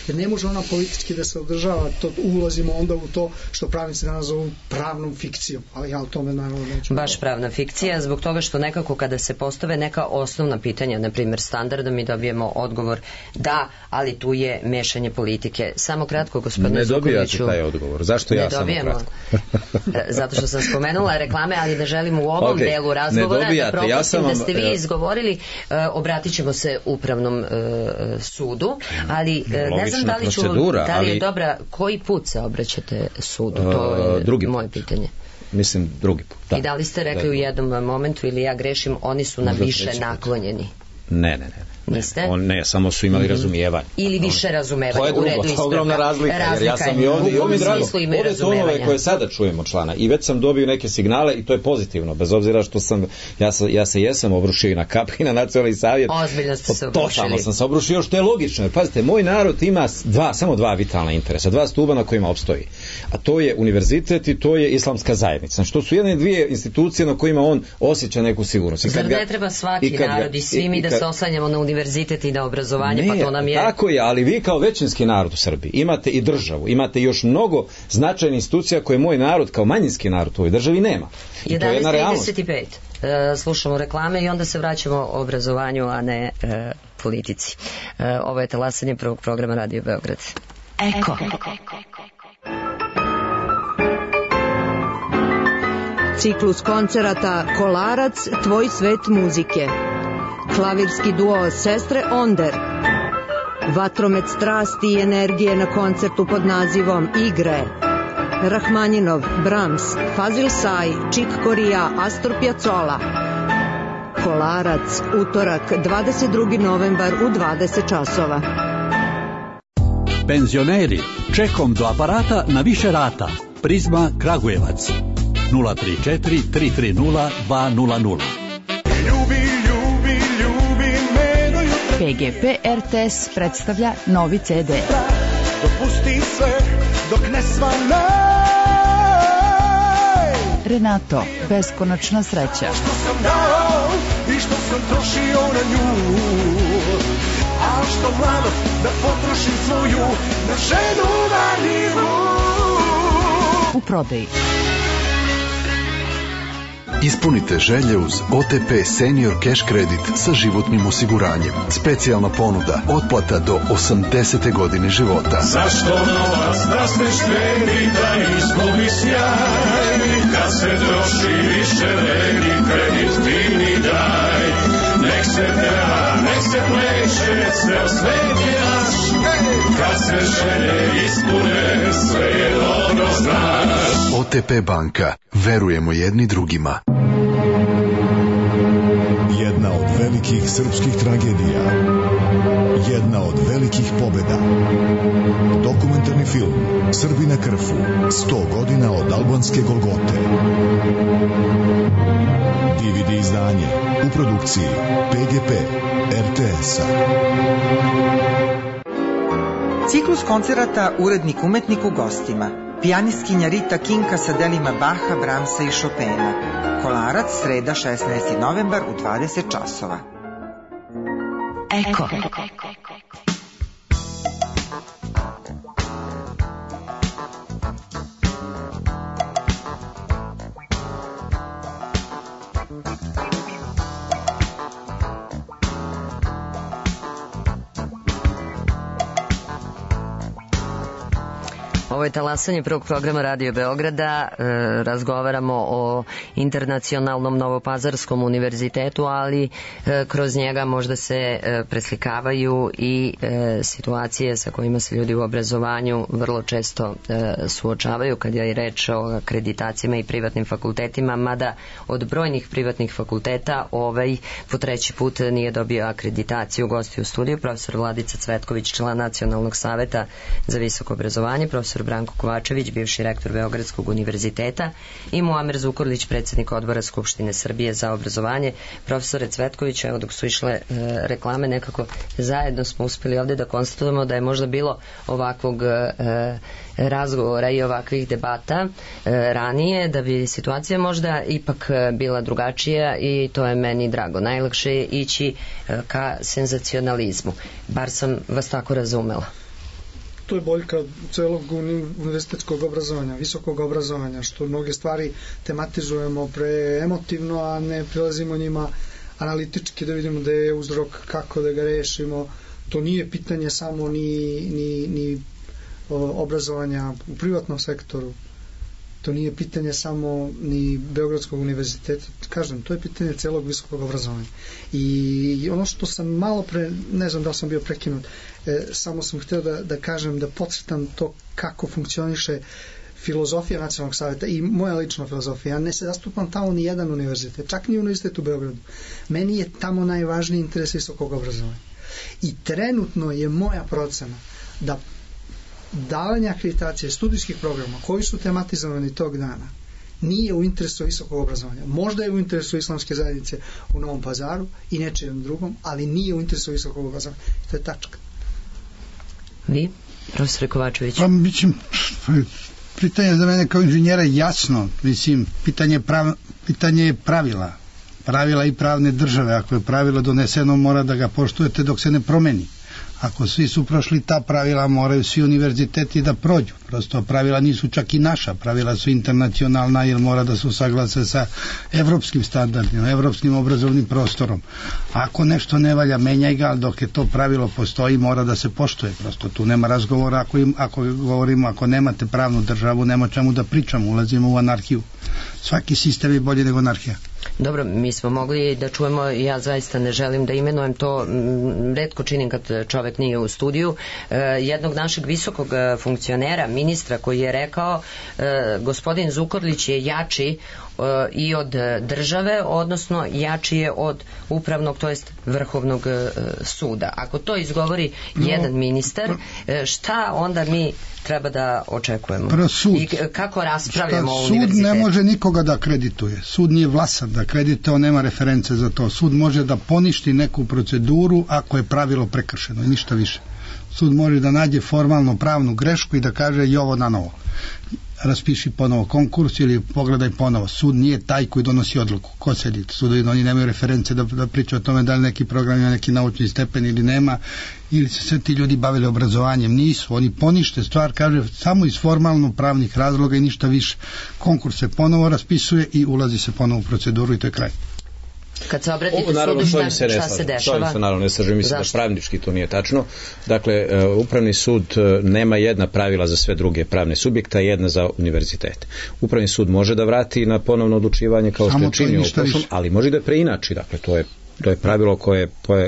Jer ne može ona politički da se održava, to ulazimo onda u to što pravnici danas zovu pravnom fikcijom. Ali ja o tome naravno neću. Baš pravna fikcija, zbog toga što nekako kada se postave neka osnovna pitanja, na primjer standarda, mi dobijemo odgovor da, ali tu je mešanje politike. Samo kratko, gospodine Zukorliću. Ne dobijate taj odgovor. Zašto ja samo kratko? Zato što sam spomenula reklame, ali da želimo u ovom delu razgovora da propustim da ste vi izgovorili, obratit ćemo se upravnom sudu, ali ne znam da li je dobra, koji put se obraćate sudu, to je moje pitanje. Mislim drugi put. I da li ste rekli u jednom momentu, ili ja grešim, oni su na više naklonjeni? Ne. Niste? Ne, samo su imali razumijevanje. Ili više razumevanja. To je drugo, to je ogromna razlika. Jer ja sam i ovdje, i ovdje drago, ove tonove koje sada čujemo člana, i već sam dobio neke signale i to je pozitivno, bez obzira što sam, ja se jesam obrušio i na KAP i na Nacionalni savjet. Ozbiljno ste se obrušili. Totalno sam se obrušio, što je logično. Jer, pazite, moj narod ima samo dva vitalna interesa, dva stuba na kojima opstoji. A to je univerzitet i to je islamska zajednica. Znači, to su jedne dvije institucije na kojima on osjeća neku sigurnost. Zar ne treba svaki narod i svi mi da se oslanjamo na univerzitet i na obrazovanje, pa to nam je... Tako je, ali vi kao većinski narod u Srbiji imate i državu, imate još mnogo značajnih institucija koje moj narod kao manjinski narod u ovoj državi nema. 11:35. Slušamo reklame i onda se vraćamo obrazovanju, a ne politici. Ovo je talasanje prvog programa Radio Beograd. Eko. Ciklus koncerata Kolarac, tvoj svet muzike. Klavirski duo Sestre Onder. Vatromet strasti i energije na koncertu pod nazivom Igre. Rahmanjinov, Brahms, Fazil Say, Chick Corea, Astor Piazzolla. Kolarac, utorak, 22. novembar u 20 časova. Penzioneri, čekom do aparata na više rata. Prizma Kragujevac 034 330 200. PGP RTS predstavlja novi CD. Dopusti sve dok ne svane. Renato, beskonačna sreća. Što sam dao i što sam trošio na nju, a što mlado da potrošim svoju na ženu valjivu. U prodaji. Ispunite želje uz OTP Senior Cash Kredit sa životnim osiguranjem. Specijalna ponuda, otplata do 80. godine života. Zašto novac da se štedi, da izgubi sjaj, kad se troši više vredi, kredit ti mi daj. Nek se peva, nek se pleše, ceo svet je naš, kad se želje ispune, sve je dobro znaš. OTP banka, verujemo jedni drugima. Jedna od velikih srpskih tragedija. Jedna od velikih pobjeda. Dokumentarni film Srbi na Krfu. 100 godina od albanske Golgote. DVD izdanje u produkciji PGP RTS-a. Ciklus koncerata Urednik umetnik u gostima. Pijanistkinja Rita Kinka sa delima Baha, Brahmsa i Chopina. Kolarac, sreda 16. novembar u 20 časova. Eko. Ovo je talasanje prvog programa Radio Beograda. Razgovaramo o Internacionalnom Novopazarskom univerzitetu, ali kroz njega možda se preslikavaju i situacije sa kojima se ljudi u obrazovanju vrlo često suočavaju kad je reč o akreditacijama i privatnim fakultetima, mada od brojnih privatnih fakulteta ovaj po treći put nije dobio akreditaciju. Gosti u studiju profesor Vladica Cvetković, član Nacionalnog saveta za visoko obrazovanje, profesor Branko Kovačević, bivši rektor Beogradskog univerziteta, i Muamer Zukorlić, predsjednik odbora Skupštine Srbije za obrazovanje. Profesore Cvetković, evo dok su išle reklame, nekako zajedno smo uspjeli ovdje da konstatujemo da je možda bilo ovakvog razgovora i ovakvih debata ranije, da bi situacija možda ipak bila drugačija, i to je meni drago. Najlakše je ići ka senzacionalizmu. Bar sam vas tako razumela. To je boljka celog univerzitetskog obrazovanja, visokog obrazovanja, što mnoge stvari tematizujemo preemotivno, a ne prilazimo njima analitički da vidimo da je uzrok, kako da ga rešimo. To nije pitanje samo ni obrazovanja u privatnom sektoru, to nije pitanje samo ni Beogradskog univerziteta, kažem, to je pitanje celog visokog obrazovanja. I ono što sam malo pre, ne znam da li sam bio prekinut, samo sam htio da kažem, da podcrtam to kako funkcioniše filozofija Nacionalnog savjeta i moja lična filozofija. Ja ne se zastupam tamo ni jedan univerzitet, čak ni univerzitet u Beogradu. Meni je tamo najvažniji interes visokog obrazovanja. I trenutno je moja procena da davanje akreditacije studijskih programa koji su tematizovani tog dana nije u interesu visokog obrazovanja. Možda je u interesu islamske zajednice u Novom Pazaru i nečijem drugom, ali nije u interesu visokog obrazovanja. To je tačka. Vi, profesor Kovačević? Pa, mislim, pitanje za mene kao inženjera je jasno. Mislim, pitanje je pravila i pravne države. Ako je pravilo doneseno, mora da ga poštujete dok se ne promeni. Ako svi su prošli ta pravila, moraju svi univerziteti da prođu. Prosto pravila nisu čak i naša, pravila su internacionalna jer mora da se usaglase sa evropskim standardima, evropskim obrazovnim prostorom. Ako nešto ne valja, menjaj ga, ali dok je to pravilo postoji, mora da se poštuje. Prosto tu nema razgovora, ako govorimo, ako nemate pravnu državu, nema čemu da pričamo, ulazimo u anarhiju. Svaki sistem je bolji nego anarhija. Dobro, mi smo mogli da čujemo, ja zaista ne želim da imenujem to, retko činim kad čovek nije u studiju, jednog našeg visokog funkcionera, ministra, koji je rekao gospodin Zukorlić je jači i od države, odnosno jači je od upravnog, to jest vrhovnog suda. Ako to izgovori jedan ministar, šta onda mi treba da očekujemo? I kako raspravljamo o univerzitetu? Sud ne može nikoga da akredituje. Sud nije vlasan da akredituje, on nema reference za to. Sud može da poništi neku proceduru ako je pravilo prekršeno i ništa više. Sud može da nađe formalno pravnu grešku i da kaže i ovo na novo. Raspiši ponovo konkurs ili pogledaj ponovo. Sud nije taj koji donosi odluku. Ko sedi? Sudovi, oni nemaju reference da pričaju o tome da li neki program ima neki naučni stepen ili nema, ili se sve ti ljudi bavili obrazovanjem. Nisu. Oni ponište stvar, kaže, samo iz formalno pravnih razloga i ništa više. Konkurs se ponovo raspisuje i ulazi se ponovo u proceduru i to je kraj. Kad se obratite sudu, šta se dešava? To se naravno ne slažem, mislim da pravnički to nije tačno. Dakle, upravni sud nema jedna pravila za sve druge pravne subjekta, jedna za univerzitete. Upravni sud može da vrati na ponovno odlučivanje kao što je činio u prošlom, ali može da preinači, dakle to je pravilo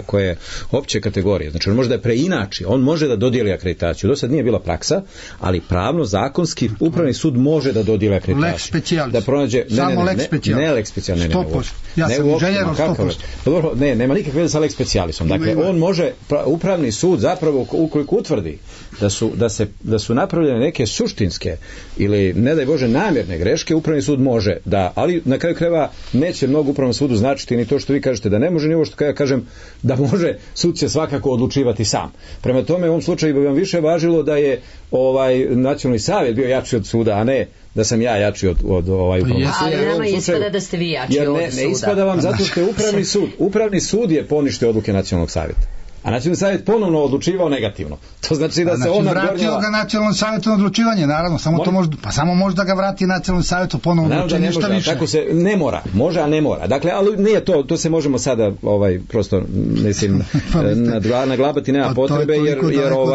koje je opće kategorije. Znači on može da preinači, on može da dodijeli akreditaciju. Do sad nije bila praksa, ali pravno, zakonski, upravni sud može da dodijeli akreditaciju. Lex specialis. Da pronađe, samo lex specialis. Ne lex specialis. 100%. Ja sam inženjer od 100%. Ne, nema nikakve veze sa lex specialisom. Dakle, on može, upravni sud zapravo, ukoliko utvrdi da su napravljene neke suštinske ili, ne daj Bože, namjerne greške, upravni sud može da, ali na kraju krajeva neće mnogo upravnom sudu značiti ni to što vi kažete da ne može, ni ovo što ja kažem da može, sud će svakako odlučivati sam. Prema tome, u ovom slučaju bi vam više važilo da je nacionalni savjet bio jači od suda, a ne da sam ja jači od upravnog suda. Ali nama ispada da ste vi jači od suda. Ne ispada vam zato što je upravni sud je poništio odluke nacionalnog savjeta. A nacionalni savjet ponovno odlučivao negativno. To znači da se on vratio ga nacionalnom savjetu na odlučivanje, naravno, samo može da ga vrati nacionalnom savjetu ponovno odlučivanje, ništa više. Tako se ne mora, može, a ne mora. Dakle, ali nije to se možemo sada prosto mislim naglabati, nema potrebe jer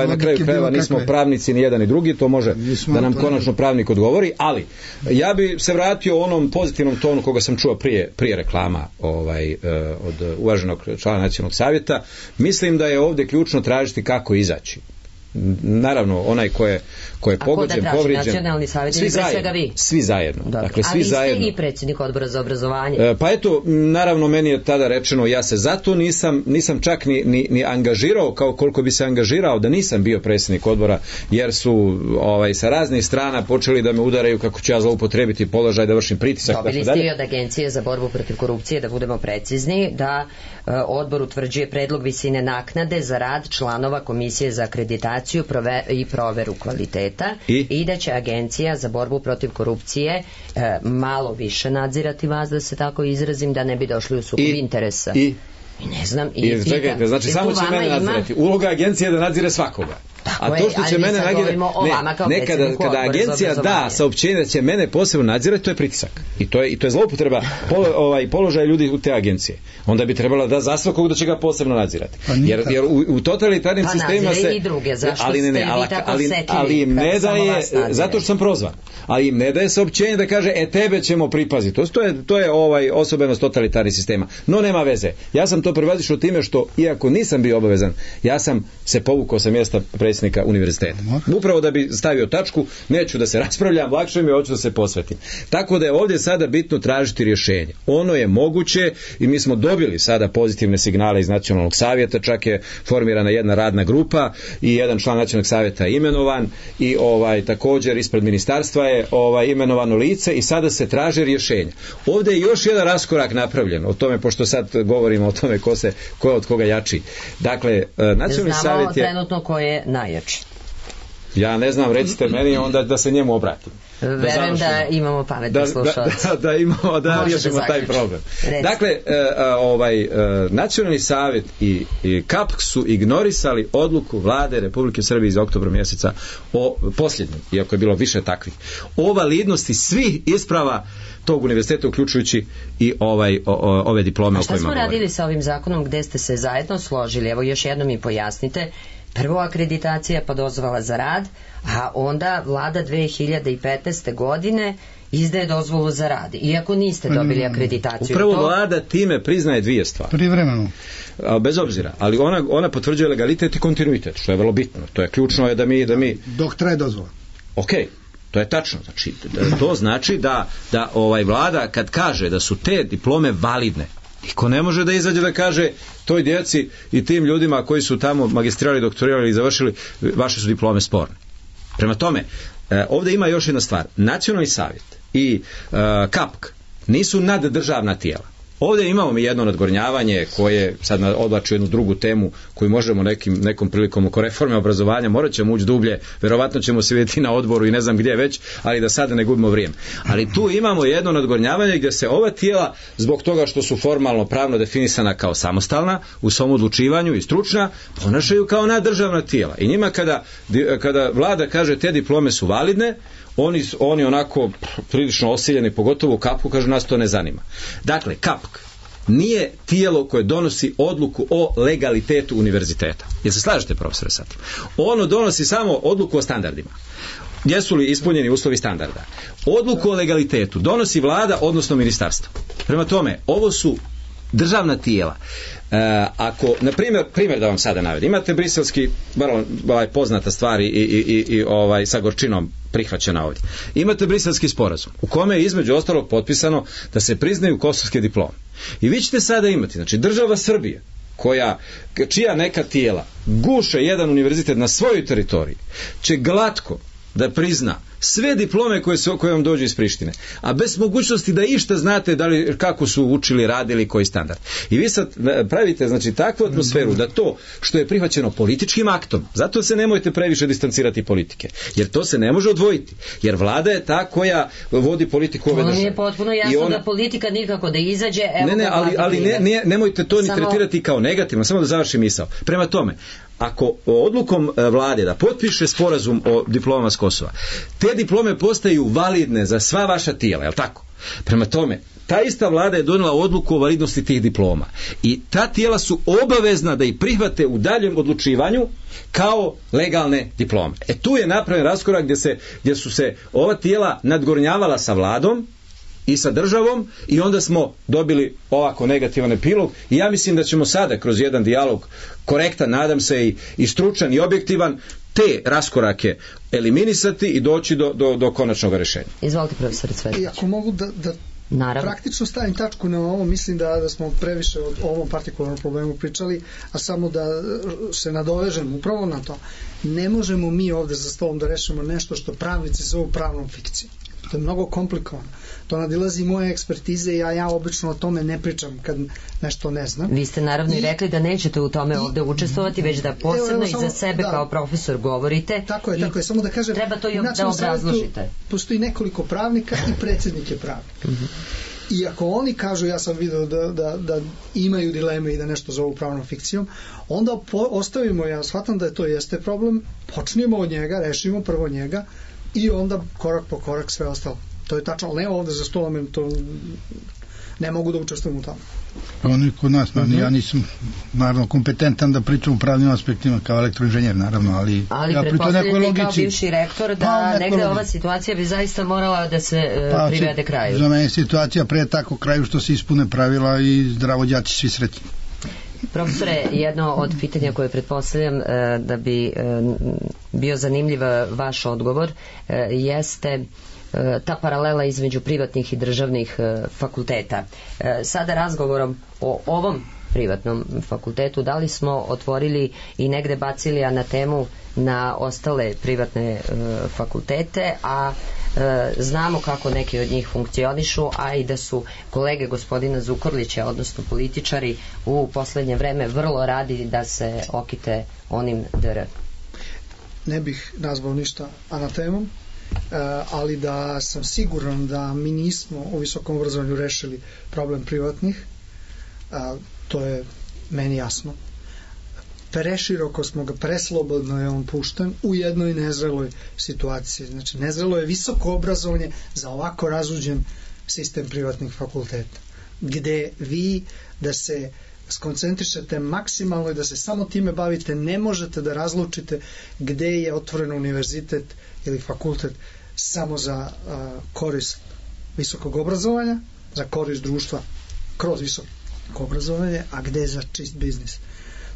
na kraju krajeva nismo pravnici ni jedan ni drugi, to može da nam konačno pravnik odgovori, ali ja bi se vratio onom pozitivnom tonu koga sam čuo prije reklama od uvaženog člana nacionalnog savjeta. Mislim da je ovdje ključno tražiti kako izaći. Naravno, onaj ko je pogođen, povrijeđen, nacionalni savjet ili pre svega vi? Svi zajedno. Dakle, svi zajedno. Ali ste i predsjednik odbora za obrazovanje. Pa eto, naravno, meni je tada rečeno, ja se zato nisam čak ni angažirao kao koliko bi se angažirao da nisam bio predsjednik odbora, jer su sa raznih strana počeli da me udaraju kako ću ja zloupotrebiti položaj, da vršim pritisak. Dobili ste i od Agencije za borbu protiv korupcije, da budemo precizni, da odbor utvrđuje predlog visine naknade za rad članova Komisije za akreditaciju i proveru kvaliteta i da će Agencija za borbu protiv korupcije malo više nadzirati vas, da se tako izrazim, da ne bi došli u sukob interesa. I ne znam, čekajte, znači samo će mene nadzirati. Uloga agencije je da nadzire svakoga. A to što će mene nadzirati, kada agencija da saopćenje da će mene posebno nadzirati, to je pritisak. I to je zloupotreba položaja ljudi u te agencije. Onda bi trebala da za svakog da će ga posebno nadzirati. Jer u totalitarnim sistemima se... i druge, zašto ste vi tako osetljivi? Ali im ne daje, zato što sam prozvan, ali im ne daje saopćenje da kaže tebe ćemo pripaziti. To je osobenost totalitarnih sistema. No nema veze. Ja sam to prevazišao time što, iako nisam bio obavezan, ja sam se povukao sa mjesta predsjednika predsjednika univerziteta. Upravo da bi stavio tačku, neću da se raspravljam, lakše mi, hoću da se posvetim. Tako da je ovdje sada bitno tražiti rješenje. Ono je moguće i mi smo dobili sada pozitivne signale iz Nacionalnog savjeta, čak je formirana jedna radna grupa i jedan član Nacionalnog savjeta je imenovan i također ispred ministarstva je imenovano lice i sada se traže rješenja. Ovdje je još jedan raskorak napravljen o tome, pošto sad govorimo o tome ko je od koga jači. Dakle, Nacionalni savjet je... Znamo trenutno ko je najjači. Ja ne znam, recite meni onda da se njemu obratim. Verujem da imamo pametne slušalce. Da riješimo taj problem. Dakle, Nacionalni savjet i KAPK su ignorisali odluku vlade Republike Srbije iz oktobra mjeseca o posljednjem, iako je bilo više takvih, o validnosti svih isprava tog univerziteta, uključujući i ove diplome o kojima govorimo. A šta smo radili sa ovim zakonom gde ste se zajedno složili? Evo još jednom mi pojasnite. Prvo akreditacija pa dozvola za rad, a onda vlada 2015. godine izdaje dozvolu za rad, iako niste dobili akreditaciju. Upravo vlada time priznaje dvije stvari. Privremeno. Bez obzira, ali ona potvrđuje legalitet i kontinuitet, što je vrlo bitno. To je ključno, je da mi... Dok traje dozvola. Okej. To je tačno, znači, to znači da vlada kad kaže da su te diplome validne, niko ne može da izađe da kaže toj djeci i tim ljudima koji su tamo magistrirali, doktorirali i završili, vaše su diplome sporne. Prema tome, ovdje ima još jedna stvar. Nacionalni savjet i KAPK nisu naddržavna tijela. Ovdje imamo mi jedno nadgornjavanje koje sad odvlači jednu drugu temu koju možemo nekom prilikom oko reforme obrazovanja, morat ćemo ući dublje, verovatno ćemo se vidjeti na odboru i ne znam gdje već, ali da sada ne gubimo vrijeme. Ali tu imamo jedno nadgornjavanje gdje se ova tijela, zbog toga što su formalno pravno definisana kao samostalna u svom odlučivanju i stručna, ponašaju kao naddržavna tijela. I njima kada vlada kaže te diplome su validne, oni onako prilično osiljeni, pogotovo u KAPK-u, kažu nas to ne zanima. Dakle, KAPK nije tijelo koje donosi odluku o legalitetu univerziteta. Jel se slažete, profesore, sad? Ono donosi samo odluku o standardima. Jesu li ispunjeni uslovi standarda? Odluku o legalitetu donosi vlada, odnosno ministarstvo. Prema tome, ovo su državna tijela. Ako, na primjer da vam sada navedim, imate briselski, vrlo poznata stvar i sa gorčinom prihvaćena ovdje. Imate briselski sporazum u kome je između ostalog potpisano da se priznaju kosovske diplome. I vi ćete sada imati, znači država Srbije, čija neka tijela guše jedan univerzitet na svojoj teritoriji, će glatko da prizna sve diplome koje vam dođu iz Prištine, a bez mogućnosti da išta znate kako su učili, radili, koji standard. I vi sad pravite, znači, takvu atmosferu da to što je prihvaćeno političkim aktom, zato se nemojte previše distancirati politike, jer to se ne može odvojiti, jer vlada je ta koja vodi politiku ove države. Ono je potpuno jasno da politika nikako da izađe, nemojte to ni tretirati kao negativno, samo da završim misao. Prema tome, ako odlukom vlade da potpiše sporazum o diplomama s Kosova, te diplome postaju validne za sva vaša tijela, je li tako? Prema tome, ta ista vlada je donijela odluku o validnosti tih diploma i ta tijela su obavezna da ih prihvate u daljem odlučivanju kao legalne diplome. Tu je napravljen raskorak gdje su se ova tijela nadgornjavala sa vladom i sa državom i onda smo dobili ovako negativan epilog i ja mislim da ćemo sada kroz jedan dijalog korektan, nadam se i stručan i objektivan, te raskorake eliminisati i doći do konačnog rješenja. Izvolite, profesor Cvetić. I ako mogu da praktično stavim tačku na ovo, mislim da smo previše o ovom partikularnom problemu pričali, a samo da se nadovežem upravo na to. Ne možemo mi ovdje za stolom da rešimo nešto što pravnici zovu pravnom fikcijom. To je mnogo komplikovano. To nadilazi moje ekspertize i ja obično o tome ne pričam kad nešto ne znam. Vi ste naravno i rekli da nećete u tome ovdje učestvovati, već da posebno i za sebe kao profesor govorite. Tako je, samo da kažem, treba to i da obrazložite. Postoji nekoliko pravnika i predsjednik je pravnik. I ako oni kažu, ja sam vidio da imaju dileme i da nešto zovu pravnom fikcijom, onda ostavimo, ja shvatam da to jeste problem, počnemo od njega, rešimo prvo njega i onda korak po korak sve ostalo. To je tačno, ali ne ovdje za stolom, to ne mogu da učestvujem u tome. Oni kod nas, ja nisam naravno kompetentan da pričam u pravnim aspektima kao elektroinženjer, naravno, ali ja pričam nekoj logici. Kao bivši rektor da negde ova situacija bi zaista morala da se privede kraju. Za mene situacija pre tako kraju što se ispune pravila i zdravo đaci svi sretni. Profesore, jedno od pitanja koje pretpostavljam da bi bio zanimljiv vaš odgovor jeste ta paralela između privatnih i državnih fakulteta. Sada razgovorom o ovom privatnom fakultetu, da li smo otvorili i negde bacili anatemu na ostale privatne fakultete, a znamo kako neki od njih funkcionišu, a i da su kolege gospodina Zukorlića, odnosno političari, u poslednje vreme vrlo radi da se okite onim DR. Ne bih nazvao ništa anatemom, ali da sam siguran da mi nismo u visokom obrazovanju rešili problem privatnih, to je meni jasno. Preširoko smo ga, preslobodno je on pušten u jednoj nezreloj situaciji. Znači, nezrelo je visoko obrazovanje za ovako razuđen sistem privatnih fakulteta, gde vi da se skoncentrišete maksimalno i da se samo time bavite, ne možete da razlučite gde je otvoren univerzitet ili fakultet samo za korist visokog obrazovanja, za korist društva kroz visoko obrazovanje, a gde je za čist biznis.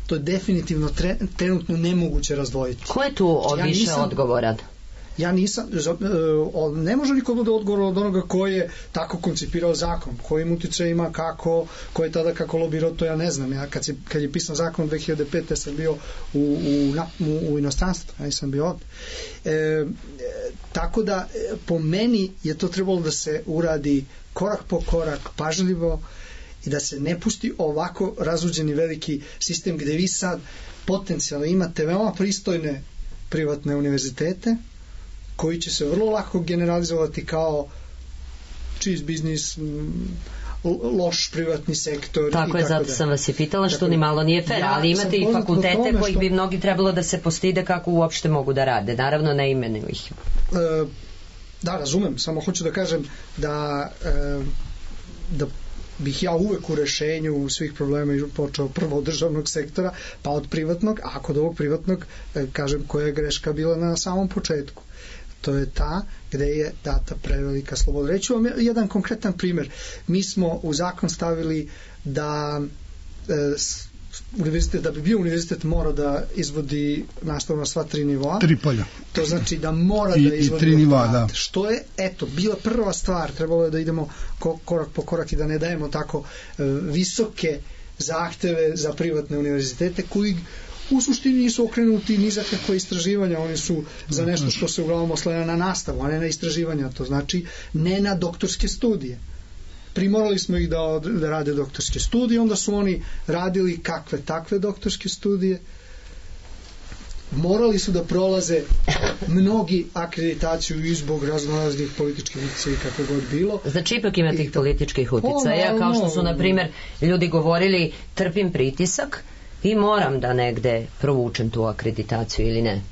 To je definitivno trenutno nemoguće razdvojiti. Ko je tu više odgovoran? Ja nisam, ne može niko da odgovor od onoga ko je tako koncipirao zakon, kojim utiče ima, kako, ko je tada kako lobirao, to ja ne znam. Ja kad je pisan zakon 2005. sam bio u inostranstvu, ja nisam bio ovdje. Tako da po meni je to trebalo da se uradi korak po korak, pažljivo, i da se ne pusti ovako razuđeni veliki sistem gde vi sad potencijalno imate veoma pristojne privatne univerzitete koji će se vrlo lako generalizovati kao čist biznis, loš privatni sektor. Tako je, zato sam vas i pitala što ni malo nije fair, ali imate i fakultete kojih bi mnogi trebalo da se postide kako uopšte mogu da rade. Naravno, ne imenuju ih. Da, razumem, samo hoću da kažem da bih ja uvek u rešenju svih problema počeo prvo od državnog sektora, pa od privatnog, a kod ovog privatnog kažem koja je greška bila na samom početku. To je ta gde je data prevelika sloboda. Reću vam jedan konkretan primer. Mi smo u zakon stavili da univerzitet, da bi bio univerzitet mora da izvodi nastavu na sva 3 nivoa. 3 polja. To znači da mora da izvodi 3 nivoa, da. Što je, eto, bila prva stvar, trebalo je da idemo korak po korak i da ne dajemo tako visoke zahteve za privatne univerzitete koji u suštini nisu okrenuti ni za kakve istraživanja, oni su za nešto što se uglavnom oslanja na nastavu, a ne na istraživanja, to znači ne na doktorske studije. Primorali smo ih da rade doktorske studije, onda su oni radili kakve takve doktorske studije, morali su da prolaze mnogi akreditaciju i zbog raznoraznih političkih uticaja i kako god bilo. Znači ipak ima tih političkih uticaja, kao što su na primjer ljudi govorili trpim pritisak i moram da negde provučem tu akreditaciju ili ne.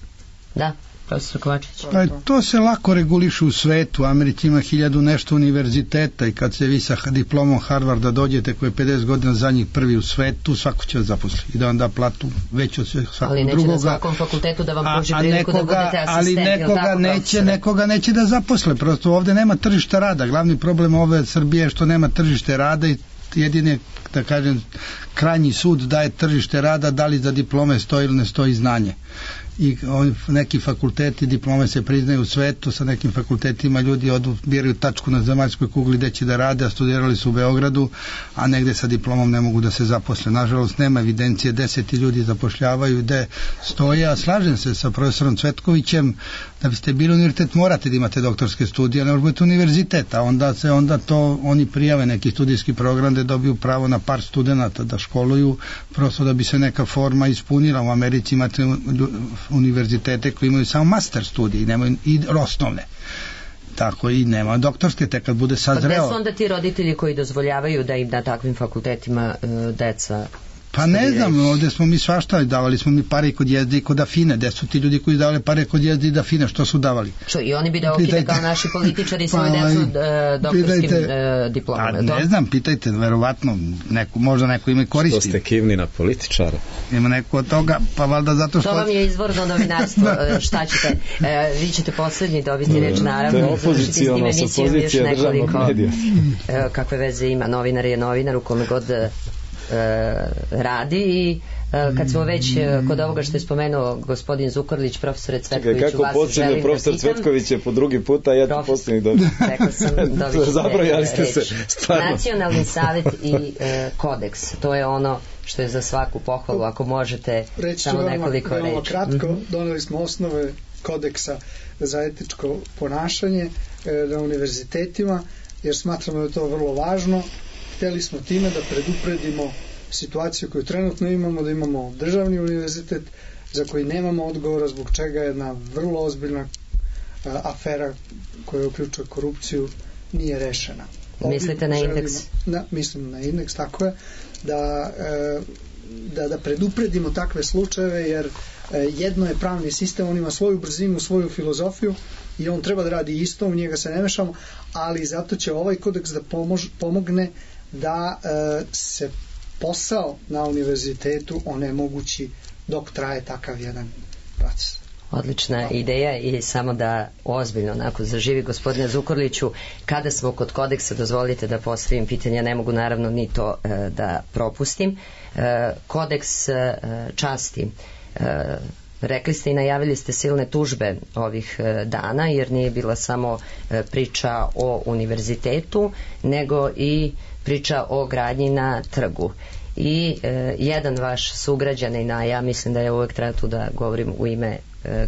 Da? Profesor Kovačević. Pa to se lako reguliše u svetu. Amerika ima 1000 nešto univerziteta i kad se vi sa diplomom Harvarda dođete koji je 50 godina za njih prvi u svetu, svako će vas zaposli i da vam da platu veću od svakog drugoga. Ali neće na svakom fakultetu da vam pruži priliku da budete asistent. Ali nekoga neće da zaposle. Prosto ovde nema tržišta rada. Glavni problem ove Srbije je što nema tržište rada i jedine, da kažem, krajnji sud daje tržište rada, da li za diplome stoji ili ne stoji znanje. I neki fakulteti, diplome se priznaju u svetu, sa nekim fakultetima ljudi biraju tačku na zemaljskoj kugli gde će da rade, a studirali su u Beogradu, a negde sa diplomom ne mogu da se zaposle. Nažalost, nema evidencije, 10 ljudi zapošljavaju gde stoje, a slažem se sa profesorom Cvetkovićem, da biste bili univerzitet morate da imate doktorske studije, ne može biti univerzitet, a onda to oni prijave neki studijski program da dobiju pravo na par studenata da školuju, prosto da bi se neka forma ispunila. U Americi imate univerzitete koji imaju samo master studije i nemaju i osnovne. Tako i nema doktorske, te kad bude sazreo. Pa gde su onda ti roditelji koji dozvoljavaju da im na takvim fakultetima deca? Pa ne znam, ovde smo mi svašta, davali smo mi pare i kod Jezde i kod Afine. Gde su ti ljudi koji davali pare kod Jezde i Afine, što su davali? Što, i oni bi da okide kao naši političari svoje decu doktorskim diplomama? Ne znam, pitajte, verovatno, možda neko ima koristi. Što ste kivni na političara? Ima neko od toga, pa valjda zato što... To vam je izvorno novinarstvo, šta ćete? Vi ćete poslednji dobiti reč, naravno. To je opozicijalno sa pozicije državnog medija. Kakve veze ima, novinar je novinar u kome god radi i kad smo već kod ovoga što je spomenuo gospodin Zukorlić, profesore Cvetkoviću, kako vas počinje želim profesor da pitam. Cvetković je po drugi put, a ja ću posljednji dobiti. Rekla sam, dobit ćete Zabrojali ste reč. se, stvarno. Nacionalni savjet i kodeks, to je ono što je za svaku pohvalu, ako možete samo nekoliko reči. Reći kratko, doneli smo osnove kodeksa za etičko ponašanje na univerzitetima, jer smatramo da je to vrlo važno. Hteli smo time da predupredimo situaciju koju trenutno imamo, da imamo državni univerzitet za koji nemamo odgovora, zbog čega jedna vrlo ozbiljna afera koja uključuje korupciju nije rešena. Mislite na indeks? Mislim na indeks, tako je, da predupredimo takve slučajeve, jer jedno je pravni sistem, on ima svoju brzinu, svoju filozofiju i on treba da radi isto, u njega se ne mešamo, ali zato će ovaj kodeks da pomogne da se posao na univerzitetu onemogući dok traje takav jedan proces. Odlična ideja i samo da ozbiljno onako zaživi gospodine Zukorliću, kada smo kod kodeksa, dozvolite da postavim pitanja, ne mogu naravno ni to da propustim. Kodeks časti. Rekli ste i najavili ste silne tužbe ovih dana, jer nije bila samo priča o univerzitetu, nego i priča o gradnji na trgu. I jedan vaš sugrađanin, a ja mislim da je uvek treba tu da govorim u ime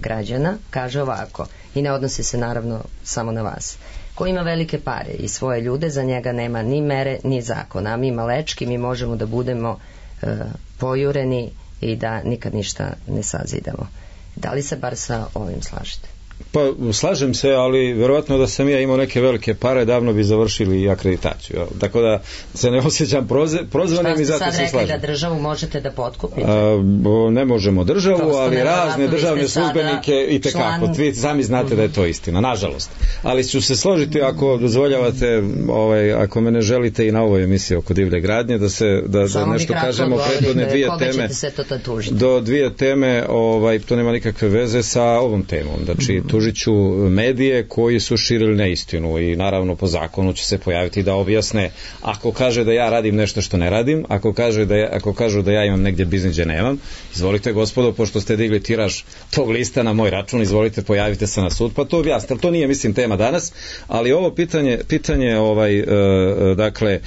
građana, kaže ovako, i ne odnosi se naravno samo na vas: ko ima velike pare i svoje ljude, za njega nema ni mere ni zakona, a mi malečki, mi možemo da budemo pojureni i da nikad ništa ne sazidamo. Da li se bar sa ovim slažete? Pa slažem se, ali verovatno da sam ja imao neke velike pare, davno bi završili i akreditaciju. Tako da se ne osjećam prozvanim i zato se slažem. Šta ste sad rekli, da državu možete da potkupite? Ne možemo državu, ali razne državne službenike i tekako. Vi sami znate da je to istina, nažalost. Ali ću se složiti, ako dozvoljavate, ako me ne želite i na ovoj emisiji oko divlje gradnje, da nešto kažemo prethodne dvije teme. Do dvije teme, to nema nikakve veze sa ovom temom. Znači, tužiću medije koji su širili neistinu i naravno po zakonu će se pojaviti da objasne, ako kaže da ja radim nešto što ne radim, ako kažu da ja imam negdje biznis gdje nemam, izvolite gospodo, pošto ste digli tiraž tog lista na moj račun, izvolite, pojavite se na sud, pa to objasnite. To nije, mislim, tema danas, ali ovo pitanje dakle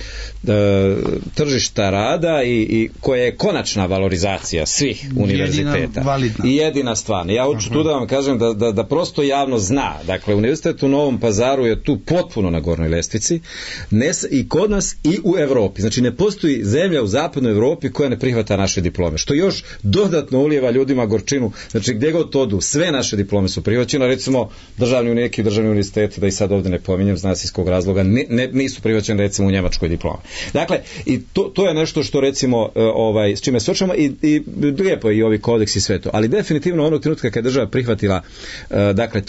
tržišta rada i koja je konačna valorizacija svih univerziteta i jedina stvar. Ja hoću tu da vam kažem da prosto javno zna. Dakle, univerzitet u Novom Pazaru je tu potpuno na gornjoj lestvici, i kod nas i u Evropi. Znači, ne postoji zemlja u zapadnoj Evropi koja ne prihvata naše diplome, što još dodatno ulijeva ljudima gorčinu. Znači, gdje god odu, sve naše diplome su prihvaćene. Recimo, neki državni univerziteti, da i sad ovdje ne pominjem, zna se iz kog razloga, nisu prihvaćene recimo u Njemačkoj diplome. Dakle, i to je nešto što recimo s čime se očemo i lijepo je i ovi kodeks i sve to. Ali definitivno onog trenutka kad država prihvatila dakle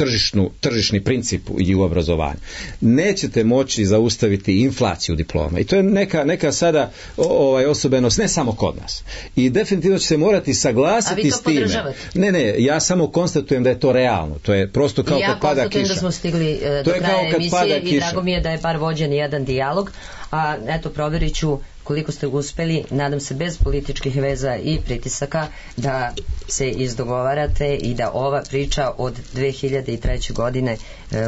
tržišni princip i u obrazovanju, nećete moći zaustaviti inflaciju diploma. I to je neka sada osobenost ne samo kod nas. I definitivno će se morati saglasiti s time. Ne, ja samo konstatujem da je to realno. To je prosto kao kad pada kiša. Ja konstatujem da smo stigli do kraja emisije i drago mi je da je bar vođen jedan dijalog. A eto, provjerit ću koliko ste uspeli, nadam se bez političkih veza i pritisaka, da se izdogovarate i da ova priča od 2003. godine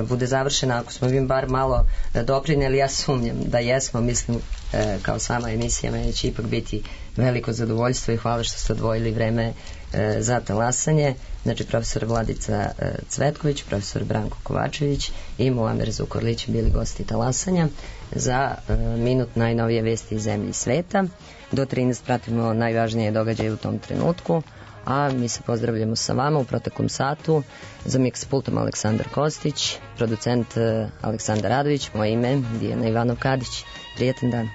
bude završena. Ako smo vi bar malo doprineli, ja sumnjam da jesmo, mislim, kao sama emisija, meni će ipak biti veliko zadovoljstvo i hvala što ste odvojili vreme za talasanje. Znači, profesor Vladica Cvetković, profesor Branko Kovačević i Muamer Zukorlić bili gosti talasanja. Za minut najnovije vesti iz zemlje i sveta. Do 13 pratimo najvažnije događaje u tom trenutku, a mi se pozdravljamo sa vama u proteklom satu. Za miks pultom Aleksandar Kostić, producent Aleksandar Radović, moje ime Dijana Ivanov Kadić. Prijetan dan.